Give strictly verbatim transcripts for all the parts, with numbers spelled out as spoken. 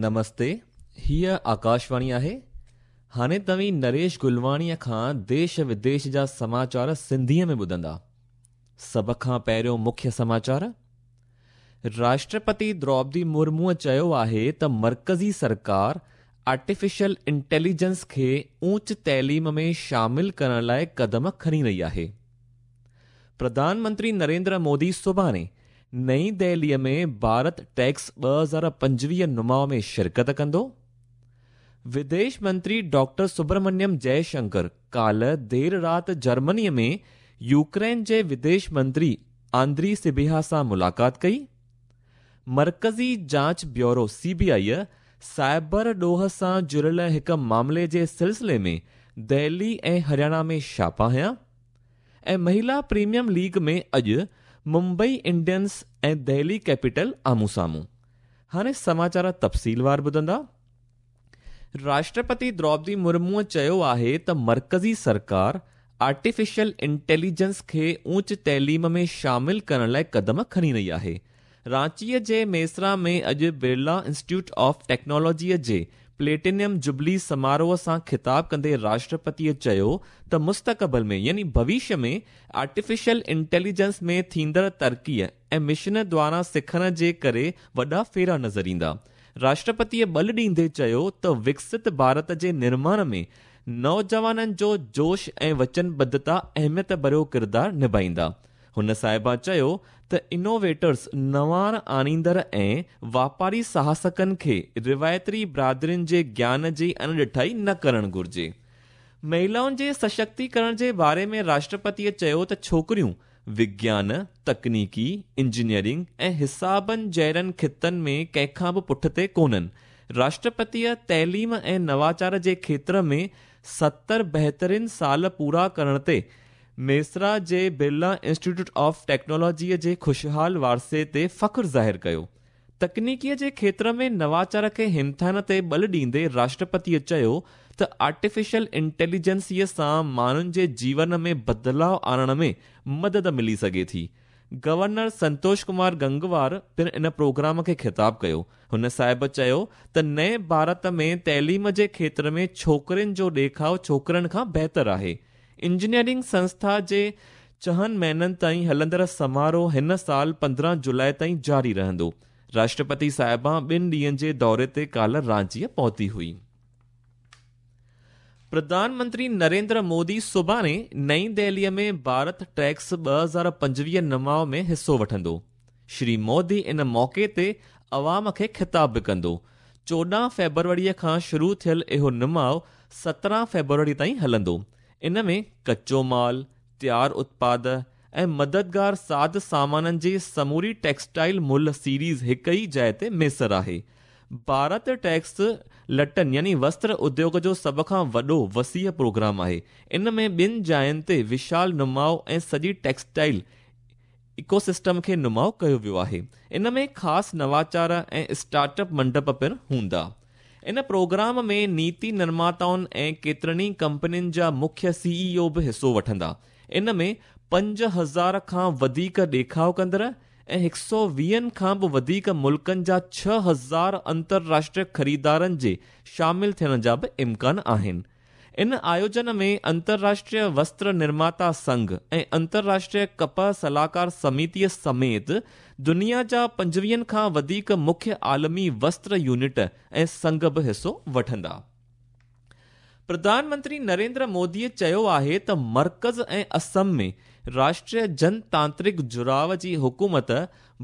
نمستي، هيءَ آڪاشواڻي آهي. هاڻي توهين نريش گلواڻيءَ کان ديش وديش جا سماچار سنڌيءَ ۾ ٻڌندا. سڀ کان پهريون مکيه سماچار. راشٽرپتي دروپدي مرموءَ چيو آهي ته مرڪزي سرڪار آرٽيفيشل انٽيليجنس کي اوچ تعليم ۾ شامل ڪرڻ لاءِ قدم کڻي رهي آهي. پرڌان منتري نريندر مودي سڀاڻي نئين دهليءَ ۾ ڀارت ٽيڪس ٻه هزار پنجويهه نماءُ ۾ شرڪت ڪندو. وديش منتري ڊاڪٽر سبرمڻيم جئشنڪر ڪالهه دير رات جرمنيءَ ۾ يوڪرين جي وديش منتري آندري سبيها سان ملاقات ڪئي. مرڪزي جاچ bureau C B I cyber ڏوهه سان جڙيل هڪ معاملي جي سلسلي ۾ دهلي ۽ هرياڻا ۾ ڇاپا هنيا. ۽ مهلا پريميئم ليگ ۾ اڄ ممبئي انڊينس ۽ دهلي ڪيپيٽل آمهون سامهون. هاڻي سماچار تفصيلوار ٻڌندا. راشٽرپتي دروپدي مرموءَ چيو آهي ته مرڪزي سرڪار آرٽيفيشل انٽيليجنس کي اوچ تعليم ۾ شامل ڪرڻ لاءِ قدم کڻي رهي آهي. رانچيءَ جي ميسرا ۾ اڄ برلا انسٽيٽيوٽ آف ٽيڪنالاجيءَ جي پليٽينيم جبلي سماروهه سان خطاب ڪندي راشٽرپتيءَ چيو ته مستقبل ۾ يعني ڀوشيه ۾ آرٽيفيشل انٽيليجنس ۾ ٿيندڙ ترقيءَ ۽ مشين دوارا سکڻ جي ڪري وڏا ڦيرا نظر ايندا. راشٽرپتيءَ ٻل ڏيندي چيو ته وڪست ڀارت جي نرماڻ ۾ نوجوانن جو جوش ۽ وچنبڌتا اهميت ڀريو ڪردار نڀائيندا. هن صاحبه چيو ته انوويٽرس، نواڻ آڻيندڙ ۽ واپاري ساهسڪن کي روايتي برادرين جي گيان جي اڻڏٺائي نه ڪرڻ گهرجي. مهلائن جي سشڪتيڪرڻ جي باري ۾ راشٽرپتيءَ چيو ته ڇوڪريون وگيان، تڪنيڪي، انجنيئرنگ ۽ حسابن جهڙن خطن ۾ ڪنهن کان به پٺتي ڪونهن. راشٽرپتيءَ تعليم ۽ نواچار جي کيتر ۾ ستر بهترين سال پورا ڪرڻ تي ميسرا جي برلا انسٽيٽيوٽ آف ٽيڪنالاجيءَ جي خوشحال وارثي تي فخر ظاهر ڪيو. تڪنيڪيءَ جي کيتر ۾ نواچار کي همٿائڻ تي ٻل ڏيندي راشٽرپتيءَ چيو ته آرٽيفيشل انٽيليجنسيءَ سان ماڻهن جي جيون ۾ بدلاءُ آڻڻ ۾ مدد ملي سگهي ٿي. گورنر سنتوش ڪمار گنگوار پڻ ان پروگرام کي خطاب ڪيو. هن صاحب چيو ته نئين ڀارت ۾ تعليم جي کيتر ۾ ڇوڪرين جو ڏيکاءُ ڇوڪرن کان بهتر آهي. انجنيئرنگ سنسٿا جي ڇهن مهينن تائين هلندڙ سماروهه هن سال پندرهن جولاءِ تائين جاري رهندو. راشٽرپتي صاحبه ٻن ڏينهن جي دوري تي ڪالهه رانچيءَ پهتي هئي. پرڌان منتري نريندر مودي سڀاڻي نئين دهليءَ ۾ ڀارت ٽيڪس ٻه هزار پنجويهه نماءُ ۾ حصو وٺندو. شري مودي ان موقعي تي عوام کي خطاب به ڪندو. چوڏهن فيبروريءَ کان شروع ٿيل اهو نماءُ سترهن فيبروري تائين هلندو. ان ۾ ڪچو مال، تيار اتپاد ۽ مددگار ساز سامانن جي سموري ٽيڪسٽائل مل سيريز هڪ ئي جاءِ تي ميسر آهي. ڀارت ٽيڪس لٽن يعني وستر اديوگ جو سڀ کان وڏو وسيع پروگرام آهي. ان ۾ ٻن جاين تي وشال نماءُ ۽ سڄي ٽيڪسٽائل ايڪوسسٽم کي نماءُ ڪيو ويو آهي. ان ۾ خاص نواچار ۽ اسٽارٽ اپ منڊپ پڻ هوندا. ان پروگرام ۾ نيتي نرماتائن ۽ ڪيترن ئي ڪمپنين جا مکيه سي اي او به حصو وٺندا. ان ۾ پنج هزار کان وڌيڪ ڏيکاءُ ڪندڙ ۽ هڪ سؤ ويهن کان به وڌيڪ ملڪن جا ڇهه هزار انترراشٽريه خريدارن جي شامل ٿيڻ جا به امڪان آهن. ان آيوجن ۾ انترراشٽريه وستر نرماتا سنگهه ۽ انترراشٽريه ڪپهه صلاحڪار سمتيءَ سميت دنيا جا پنجويهن کان وڌيڪ مکيه عالمي وستر يونٽ ۽ سنگهه به حصو وٺندا. پرڌان منتري نريندر موديءَ چيو آهي ته مرڪز ۽ اسم ۾ راشٽريه جنتانترڪ جڙاءُ جي حڪومت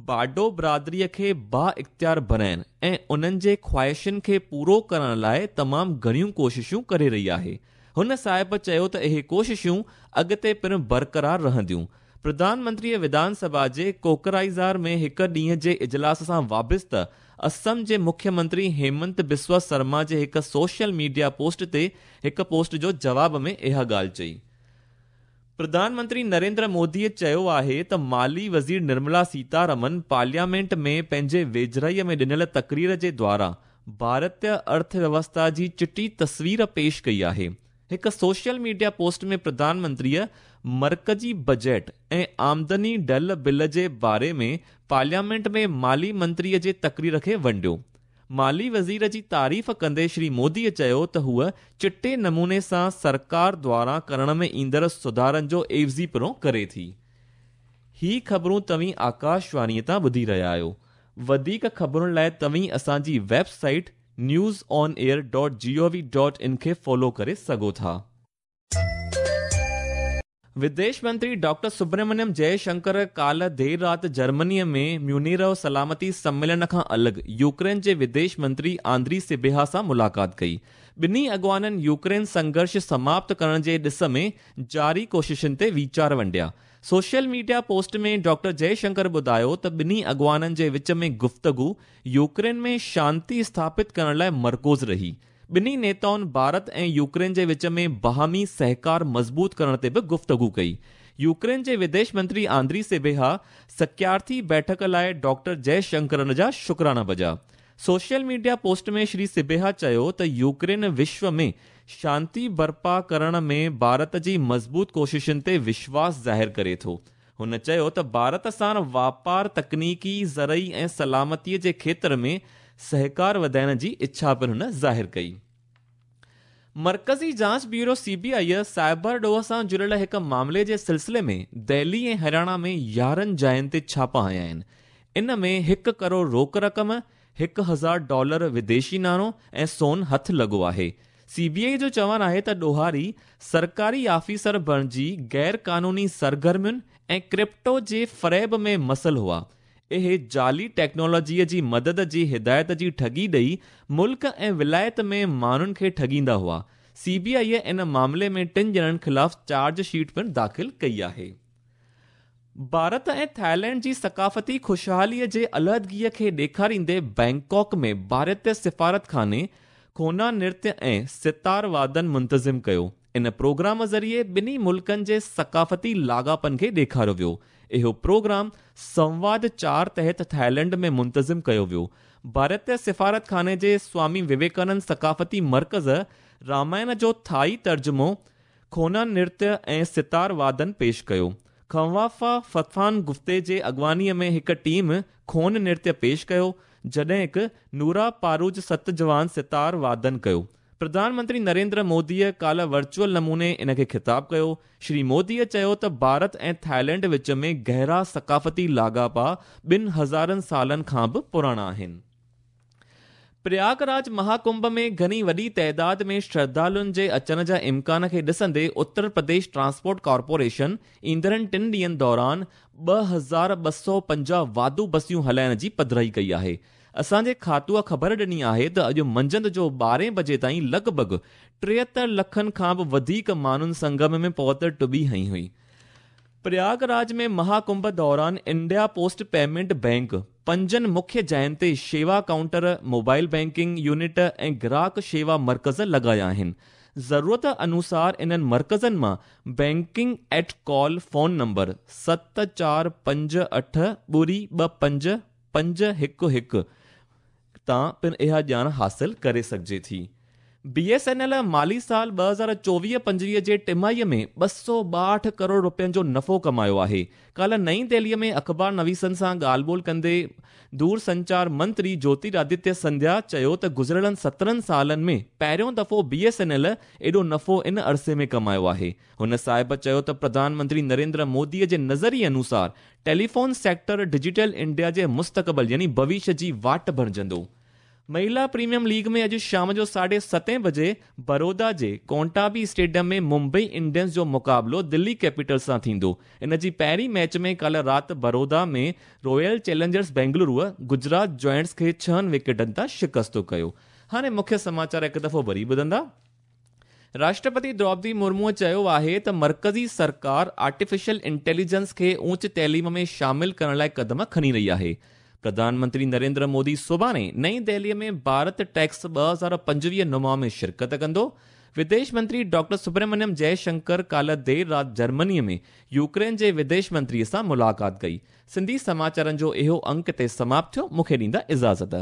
باڊو برادريءَ کي با اختيار بڻائڻ ۽ انهن جي خواهشن کي پورو ڪرڻ لاءِ تمام گهڻيون ڪوششون ڪري رهي آهي. هن صاحب چيو ته اهي ڪوششون اڳتي پڻ برقرار رهنديون. پرڌان منتريءَ وڌان سڀا جي ڪوڪرائيزار ۾ هڪ ڏينهن جي اجلاس سان وابسته اسم جي مکيه منتري هيمنت بسوا شرما جي هڪ سوشل ميڊيا پوسٽ تي هڪ پوسٽ جو جواب ۾ اها ڳالهه چئي. پرڌان منتري نريندر موديءَ چيو آهي ته مالي وزير نرملا سيتارمن پارليامينٽ ۾ پنهنجي ويجهڙائيءَ ۾ ڏنل تقرير جي دوارا ڀارتيه ارٿويوسٿا جي چٽي تصوير پيش ڪئي آهي. هڪ سوشل ميڊيا پوسٽ ۾ پرڌان منتريءَ مرڪزي بجيٽ ۽ آمدني ڍل بل جي باري ۾ پارليامينٽ ۾ مالي منتريءَ جي تقرير کي ونڊيو. مالي وزير جي تعريف ڪندي شري موديءَ چيو ته هوء چٽي نموني سان سرڪار دواران ڪرڻ ۾ ايندڙ سڌارن جو عيوضي پڻو ڪري ٿي. هي خبرون توهين آڪاشواڻيءَ تان ٻڌي رهيا آهيو. وڌيڪ خبرن لاءِ توهين اسان جي website news on air dot G O V dot in کي فالو ڪري سگهو ٿا. وديش منتري ڊاڪٽر سبرمڻيم جئشنڪر ڪالهه دير رات جرمنيءَ ۾ ميونخ سلامتي سميلن کان الڳ يوڪرين جي وديش منتري آندري سبيها سان ملاقات ڪئي. ٻنهي اڳواڻن يوڪرين سنگهرش سماپت ڪرڻ جي ڏس ۾ جاري ڪوششن تي ويچار ونڊيا. Social media post ۾ doctor Jaishankar ٻڌايو ته ٻنهي اڳواڻن جي وچ ۾ گفتگو يوڪرين ۾ شانتي اسٿاپت ڪرڻ لاءِ مرڪوز رهي. ٻنهي نيتائن ڀارت ۽ يوڪرين جي وچ ۾ باهمي سهڪار مضبوط ڪرڻ تي به گفتگو ڪئي. يوڪرين جي وديش منتري آندري سبيها سڪيارٿي بيٺڪ لاءِ ڊاڪٽر جئشنڪر جا شڪرانا بجا. سوشل ميڊيا پوسٽ ۾ شري سبيها چيو ته يوڪرين وشو ۾ شانتي برپا ڪرڻ ۾ ڀارت جي مضبوط ڪوششن تي وشواس ظاهر ڪري ٿو. هن چيو ته ڀارت سان واپار، تڪنيڪي، زرعي ۽ سلامتيءَ جي کيتر ۾ سهڪار وڌائڻ جي اڇا پڻ هن ظاهر ڪئي. مرڪزي جاچ bureau C B I cyber ڏوهه سان جڙيل هڪ معاملي جي سلسلي ۾ دهلي ۽ هرياڻا ۾ يارهن جاين تي ڇاپا هنيا آهن. ان ۾ هڪ ڪروڙ روڪ رقم، هڪ هزار ڊالر وديشي ناڻو ۽ سون هٿ لڳو آهي. سي بي I جو چوڻ آهي ته ڏوهاري سرڪاري آفيسر بڻجي غير قانوني سرگرمين ۽ ڪرپٽو جي فريب ۾ مسل هئا. اهي جعلي ٽيڪنالاجيءَ جي مدد جي هدايت جي ٺڳي ڏيئي ملڪ ۽ ولايت ۾ ماڻهن کي ٺڳيندا هئا. سي بي I ان معاملي ۾ ٽن ڄڻن خلاف چارج شيٽ پڻ داخل ڪئي آهي. ڀارت ۽ ٿائيلينڊ جي ثقافتي خوشحاليءَ جي علحدگيءَ کي ڏيکاريندي بينڪاڪ ۾ ڀارتيه سفارتخاني کونا نرتيه ۽ ستار وادن منتظم ڪيو. ان پروگرام ذريعي ٻنهي ملڪن جي ثقافتي لاڳاپن کي ڏيکاريو ويو. اهو پروگرام سنواد چار تحت ٿائيلينڊ ۾ منتظم ڪيو ويو. ڀارتيه سفارتخاني جي سوامي وويڪانند ثقافتي مرڪز رامائڻ جو ٿائي ترجمو کونا نرتيه ۽ ستار وادن پيش ڪيو. کوافا فتفان گفتي جي اڳواڻيءَ ۾ هڪ ٽيم کون نرتيه پيش ڪيو، جڏهن هڪ نورا پاروج ست جوان ستار وادن ڪيو. پرڌان منتري نريندر موديءَ ڪالهه ورچوئل نموني ان کي خطاب ڪيو. شري موديءَ چيو ته ڀارت ۽ ٿائيلينڊ وچ ۾ گهرا ثقافتي لاڳاپا ٻن هزارن سالن کان به پراڻا آهن. پرياگراج مهاڪنڀ ۾ گهڻي وڏي تعداد ۾ شرڌالن جي اچڻ جا امڪان کي ڏسندي اتر پرديش ٽرانسپورٽ ڪارپوريشن ايندڙ ٽن ڏينهن دوران ٻه هزار ٻه سؤ پنجاهه واڌو بسيون هلائڻ جي پڌرائي ڪئي آهي. اسان جي کاتوءَ خبر ڏني آهي ته اڄ منجهند جو ٻارهين بجي تائين لڳ ڀڳ ٽيهتر لکن کان به وڌيڪ ماڻهن سنگم ۾ پهتل ٽٻي هنئي هئي. پرياگراج ۾ مهاڪنڀ دوران انڊيا پوسٽ پيمينٽ بينڪ پنجن مکيه جاين تي شيوا ڪائونٽر، موبائل بينڪنگ يونٽ ۽ گراهڪ شيوا مرڪز لڳايا آهن. ضرورت انوسار انهن مرڪزن مان banking at call phone number ست چار پنج اٺ ٻڙي ٻه پنج پنج هڪ هڪ تان پڻ اها ڄاڻ حاصل ڪري سگهجي ٿي. بي ايس اين ايل مالي سال ٻه هزار چوويهه پنجويهه جي ٽماهيءَ ۾ ٻه سؤ ٻاهٺ ڪروڙ رپين جو نفعو ڪمايو آهي. ڪالهه نئين دهليءَ ۾ اخبار نويسن سان ڳالهه ٻولهه ڪندي دور سنچار منتري جيوترادتيه سنڌيا چيو ته گذريل سترهن سالن ۾ پهريون دفعو بي ايس اين ايل ايڏو نفعو ان عرصي ۾ ڪمايو آهي. هن صاحب چيو ته پرڌان منتري نريندر موديءَ جي نظريي انوسار ٽيليفون سيڪٽر ڊجيٽل انڊيا جي مستقبل يعني ڀوشيه جي واٽ بڻجندو. مهلا پريميئم ليگ ۾ اڄ شام جو ساڍي ستين بجي بڙودا جي ڪونٽابي اسٽيڊيم ۾ ممبئي انڊينز جو مقابلو دلي ڪيپيٽلز سان ٿيندو. ان جي پهرين ميچ ۾ ڪالهه رات Baroda ۾ royal challengers Bengaluru Gujarat giants کي ڇهن وڪيٽن تان شڪست ڪيو. هاڻي مکيه سماچار هڪ دفعو وري ٻڌندا. راشٽرپتي دروپدي مرموءَ چيو آهي ته مرڪزي سرڪار آرٽيفيشل انٽيليجنس کي اوچ تعليم ۾ شامل ڪرڻ لاءِ قدم کڻي رهي آهي. پرڌان منتري نريندر مودي سڀاڻي نئين دهليءَ ۾ ڀارت ٽيڪس ٻه هزار پنجويهه نما ۾ شرڪت ڪندو. وديش منتري ڊاڪٽر سبرمڻيم جئشنڪر ڪالهه دير رات جرمنيءَ ۾ يوڪرين جي وديش منتريءَ سان ملاقات ڪئي. سنڌي سماچارن جو اهو انڪ تي سماپت ٿيو. مون کي ڏيندا اجازت.